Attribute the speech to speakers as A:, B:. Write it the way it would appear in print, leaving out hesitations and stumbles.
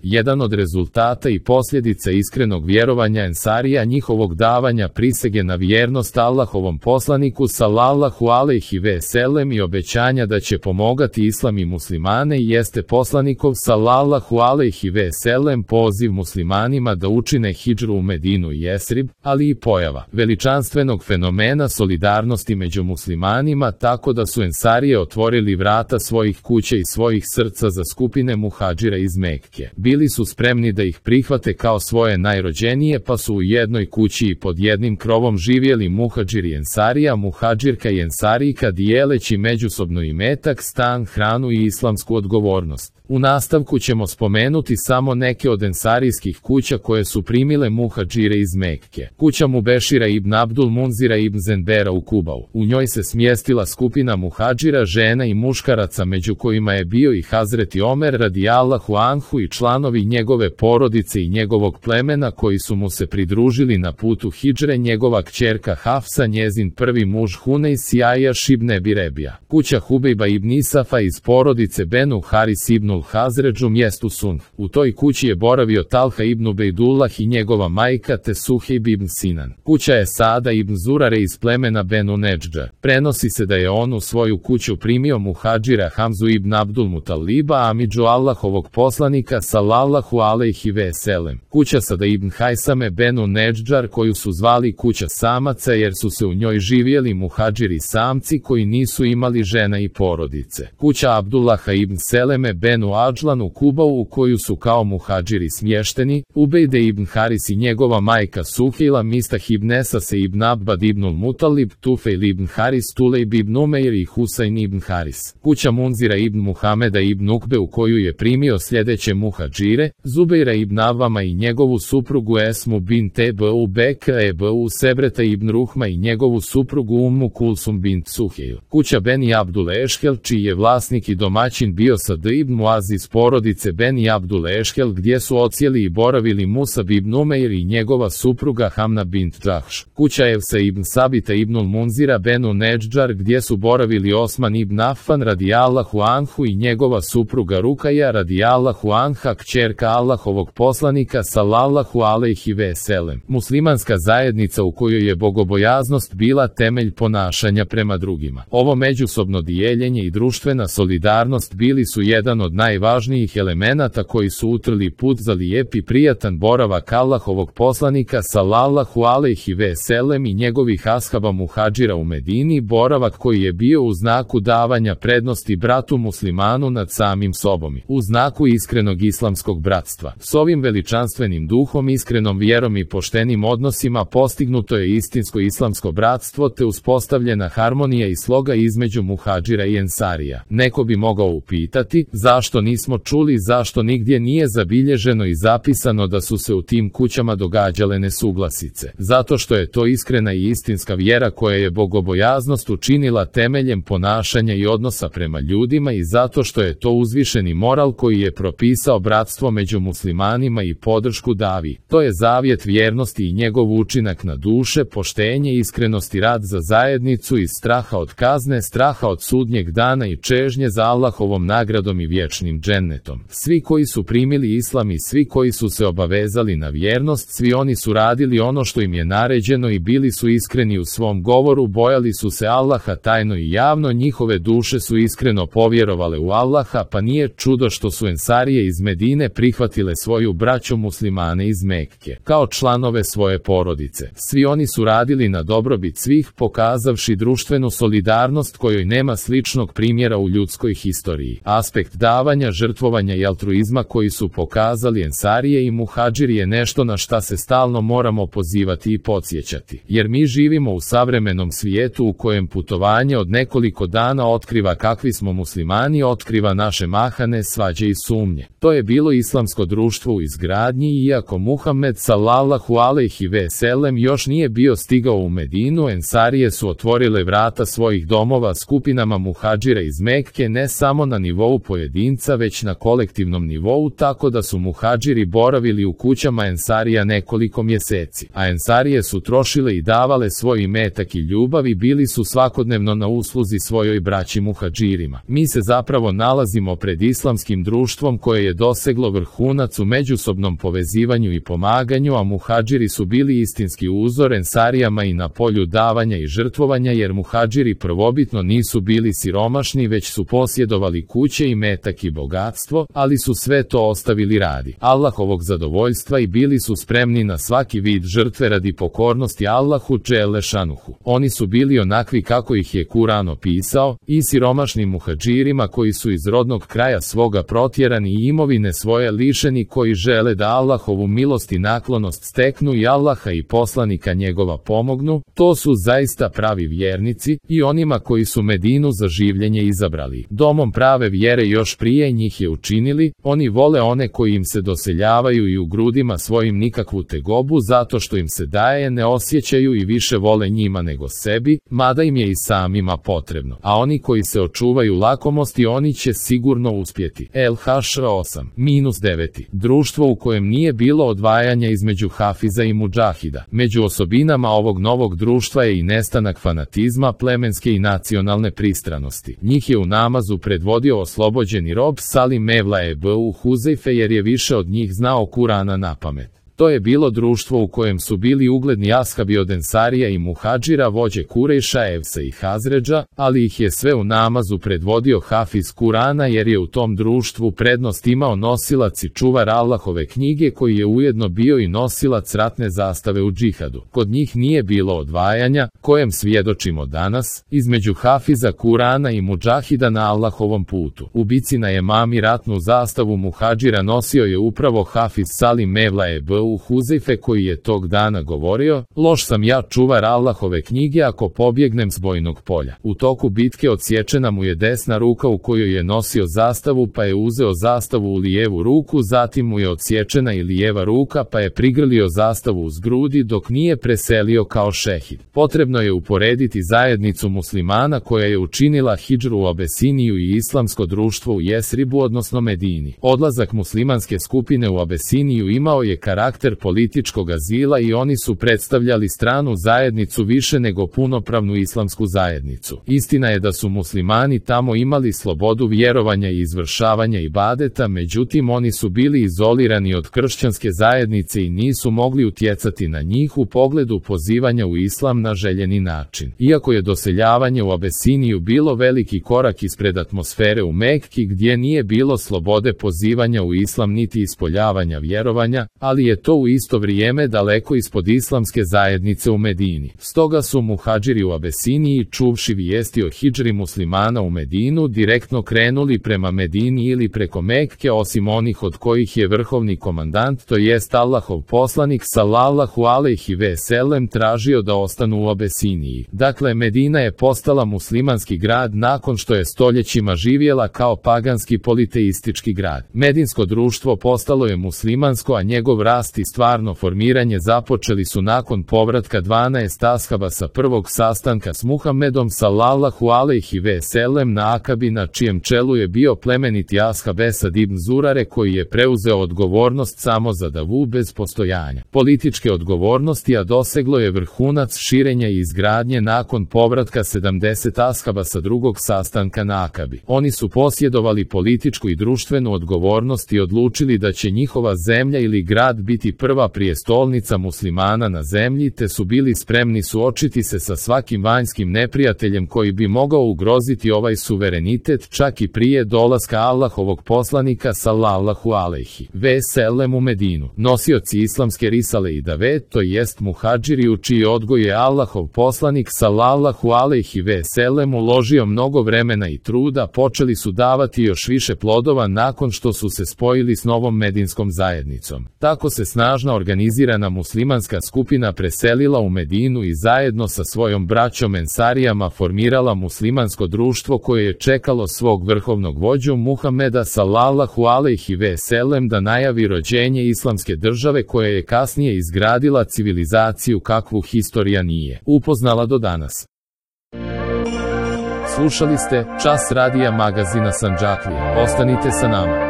A: Jedan od rezultata i posljedica iskrenog vjerovanja Ensarija njihovog davanja prisege na vjernost Allahovom poslaniku sallallahu alejhi ve sellem i obećanja da će pomogati islam i muslimane jeste poslanikov sallallahu alejhi ve sellem poziv muslimanima da učine hidžru u Medinu i Jesrib, ali i pojava veličanstvenog fenomena solidarnosti među muslimanima tako da su Ensarije otvorili vrata svojih kuća i svojih srca za skupine muhadžira iz Mekke. Bili su spremni da ih prihvate kao svoje najrođenije pa su u jednoj kući i pod jednim krovom živjeli muhadžir i Ensarija, muhadžirka i Ensarijka dijeleći međusobno imetak, stan, hranu i islamsku odgovornost. U nastavku ćemo spomenuti samo neke od ensarijskih kuća koje su primile muhadžire iz Mekke. Kuća Mubešira ibn Abdul Munzira ibn Zenbera u Kubau. U njoj se smjestila skupina muhadžira, žena i muškaraca među kojima je bio i Hazreti Omer radijallahu anhu i članovi njegove porodice i njegovog plemena koji su mu se pridružili na putu hidžre, njegova kćerka Hafsa, njezin prvi muž Hunejs i Ajaš ibn Ebi Rebija. Kuća Hubejba ibn Isafa iz porodice Benu Haris ibn Hazređu mjestu Sunf. U toj kući je boravio Talha ibn Ubejdullah i njegova majka te Suhejb ibn Sinan. Kuća je Sada ibn Zurare iz plemena Benu Nedžđa. Prenosi se da je on u svoju kuću primio muhadžira Hamzu ibn Abdul Mutaliba, amidžu Allahovog poslanika sallallahu alejhi ve sellem. Kuća Sada ibn Hajsame Benu Nedžđar koju su zvali kuća samaca jer su se u njoj živjeli muhadžiri samci koji nisu imali žena i porodice. Kuća Abdullaha ibn Seleme Benu Adžlan u Kubau u koju su kao muhadžiri smješteni Ubejde ibn Haris i njegova majka Suhejla, Mistah ibn Esase ibn Abbad ibnul Mutalib, Tufejl ibn Haris, Tulejb ibn Umeir i Husain ibn Haris. Kuća Munzira ibn Muhameda ibn Ukbe u koju je primio sljedeće muhadžire, Zubeira ibn Avama i njegovu suprugu Esmu bint Ebu Bekra Ebu Sebreta ibn Ruhma i njegovu suprugu Ummu Kulsum bint Suhejl. Kuća Beni Abdul Ešhel čiji je vlasnik i domaćin bio Sad ibn Muaz iz porodice Beni Abdul Ešhel gdje su odsjeli i boravili Musab ibn Umeir i njegova supruga Hamna bint Džahš. Kuća Evsa ibn Sabita ibnul Munzira Benu Nedžđar gdje su boravili Osman ibn Affan radijallahu anhu i njegova supruga Rukaja radijallahu anha, kćerka Allahovog poslanika sallallahu alejhi ve sellem. Muslimanska zajednica u kojoj je bogobojaznost bila temelj ponašanja prema drugima. Ovo međusobno dijeljenje i društvena solidarnost bili su jedan od najvažnijih elemenata koji su utrli put za lijep i prijatan boravak Allahovog poslanika sallallahu alejhi ve sellem i njegovih ashaba muhadžira u Medini, boravak koji je bio u znaku davanja prednosti bratu muslimanu nad samim sobom, u znaku iskrenog islamskog bratstva. S ovim veličanstvenim duhom, iskrenom vjerom i poštenim odnosima postignuto je istinsko islamsko bratstvo te uspostavljena harmonija i sloga između muhadžira i ensarija. Neko bi mogao upitati, zašto nismo čuli, zašto nigdje nije zabilježeno i zapisano da su se u tim kućama događale nesuglasice? Zato što je to iskrena i istinska vjera koja je bogobojaznost učinila temeljem ponašanja i odnosa prema ljudima i zato što je to uzvišeni moral koji je propisao bratstvo među muslimanima i podršku davi. To je zavjet vjernosti i njegov učinak na duše, poštenje, iskrenost i rad za zajednicu iz straha od kazne, straha od sudnjeg dana i čežnje za Allahovom nagradom i vječnim džennetom. Svi koji su primili islam i svi koji su se obavezali na vjernost, svi oni su radili ono što im je naređeno i bili su iskreni u svom govoru, bojali su se Allaha tajno i javno, njihove duše su iskreno povjerovale u Allaha, pa nije čudo što su ensarije iz Medine prihvatile svoju braću muslimane iz Mekke kao članove svoje porodice. Svi oni su radili na dobrobit svih, pokazavši društvenu solidarnost kojoj nema sličnog primjera u ljudskoj historiji. Aspekt davanja, žrtvovanja i altruizma koji su pokazali ensarije i muhadžiri je nešto na šta se stalno moramo pozivati i podsjećati. Jer mi živimo u savremenom svijetu u kojem putovanje od nekoliko dana otkriva kakvi smo muslimani, otkriva naše mahane, svađe i sumnje. To je bilo islamsko društvo u izgradnji i iako Muhammed sallallahu alejhi ve sellem još nije bio stigao u Medinu, ensarije su otvorile vrata svojih domova skupinama muhadžira iz Mekke ne samo na nivou pojedinca pojedinca već na kolektivnom nivou, tako da su muhadžiri boravili u kućama ensarija nekoliko mjeseci, a ensarije su trošile i davale svoj imetak i ljubav i bili su svakodnevno na usluzi svojoj braći muhadžirima. Mi se zapravo nalazimo pred islamskim društvom koje je doseglo vrhunac u međusobnom povezivanju i pomaganju, a muhadžiri su bili istinski uzor ensarijama i na polju davanja i žrtvovanja, jer muhadžiri prvobitno nisu bili siromašni, već su posjedovali kuće, imetak i bogatstvo, ali su sve to ostavili radi Allahovog zadovoljstva i bili su spremni na svaki vid žrtve radi pokornosti Allahu dželle šanuhu. Oni su bili onakvi kako ih je Kur'an opisao, i siromašnim muhadžirima koji su iz rodnog kraja svoga protjerani i imovine svoje lišeni, koji žele da Allahovu milost i naklonost steknu i Allaha i poslanika njegova pomognu. To su zaista pravi vjernici, i onima koji su Medinu za življenje izabrali domom prave vjere još prije njih je učinili. Oni vole one koji im se doseljavaju i u grudima svojim nikakvu tegobu zato što im se daje ne osjećaju i više vole njima nego sebi, mada im je i samima potrebno. A oni koji se očuvaju lakomosti, oni će sigurno uspjeti. El-Hašr 8-9. Društvo u kojem nije bilo odvajanja između hafiza i mudžahida. Među osobinama ovog novog društva je i nestanak fanatizma, plemenske i nacionalne pristranosti. Njih je u namazu predvodio oslobođeni rob Salim Mevla Ebu Huzeife, jer je više od njih znao Kur'ana napamet. To je bilo društvo u kojem su bili ugledni ashabi od ensarija i muhadžira, vođe Kurejša, Evsa i Hazredža, ali ih je sve u namazu predvodio hafiz Kur'ana, jer je u tom društvu prednost imao nosilac i čuvar Allahove knjige, koji je ujedno bio i nosilac ratne zastave u džihadu. Kod njih nije bilo odvajanja, kojem svjedočimo danas, između hafiza Kur'ana i mudžahida na Allahovom putu. U bici na Jemami ratnu zastavu muhadžira nosio je upravo hafiz Salim Mevla Ebu Huzeife, koji je tog dana govorio: loš sam ja čuvar Allahove knjige ako pobjegnem s bojnog polja. U toku bitke odsječena mu je desna ruka u kojoj je nosio zastavu, pa je uzeo zastavu u lijevu ruku, zatim mu je odsječena i lijeva ruka, pa je prigrlio zastavu uz grudi dok nije preselio kao šehid. Potrebno je uporediti zajednicu muslimana koja je učinila hidžru u Abesiniju i islamsko društvo u Jesribu, odnosno Medini. Odlazak muslimanske skupine u Abesiniju imao je karakter političkog azila i oni su predstavljali stranu zajednicu više nego punopravnu islamsku zajednicu. Istina je da su muslimani tamo imali slobodu vjerovanja i izvršavanja ibadeta, međutim oni su bili izolirani od kršćanske zajednice i nisu mogli utjecati na njih u pogledu pozivanja u islam na željeni način. Iako je doseljavanje u Abesiniju bilo veliki korak ispred atmosfere u Mekki, gdje nije bilo slobode pozivanja u islam niti ispoljavanja vjerovanja, ali je to u isto vrijeme daleko ispod islamske zajednice u Medini. Stoga su muhadžiri u Abesiniji, čuvši vijesti o hidžri muslimana u Medinu, direktno krenuli prema Medini ili preko Mekke, osim onih od kojih je vrhovni komandant, to jest Allahov poslanik sallallahu alejhi ve sellem, tražio da ostanu u Abesiniji. Dakle, Medina je postala muslimanski grad nakon što je stoljećima živjela kao paganski politeistički grad. Medinsko društvo postalo je muslimansko, a njegov rast i stvarno formiranje započeli su nakon povratka 12 ashaba sa prvog sastanka s Muhammedom sallallahu alejhi ve sellem na Akabi, na čijem čelu je bio plemeniti ashab Esad ibn Zurare, koji je preuzeo odgovornost samo za davu bez postojanja političke odgovornosti, a doseglo je vrhunac širenja i izgradnje nakon povratka 70 ashaba sa drugog sastanka na Akabi. Oni su posjedovali političku i društvenu odgovornost i odlučili da će njihova zemlja ili grad biti prva prijestolnica muslimana na zemlji, te su bili spremni suočiti se sa svakim vanjskim neprijateljem koji bi mogao ugroziti ovaj suverenitet, čak i prije dolaska Allahovog poslanika sallallahu alejhi ve sellem u Medinu. Nosioci islamske risale i dave, to jest muhadžiri, u čiji odgoj je Allahov poslanik sallallahu alejhi ve sellem uložio mnogo vremena i truda, počeli su davati još više plodova nakon što su se spojili s novom medinskom zajednicom. Tako se snažna organizirana muslimanska skupina preselila u Medinu i zajedno sa svojom braćom ensarijama formirala muslimansko društvo koje je čekalo svog vrhovnog vođu Muhameda sallallahu alejhi ve sellem da najavi rođenje islamske države, koja je kasnije izgradila civilizaciju kakvu historija nije upoznala do danas. Slušali ste Čas radija magazina Sandžaklija. Ostanite sa nama.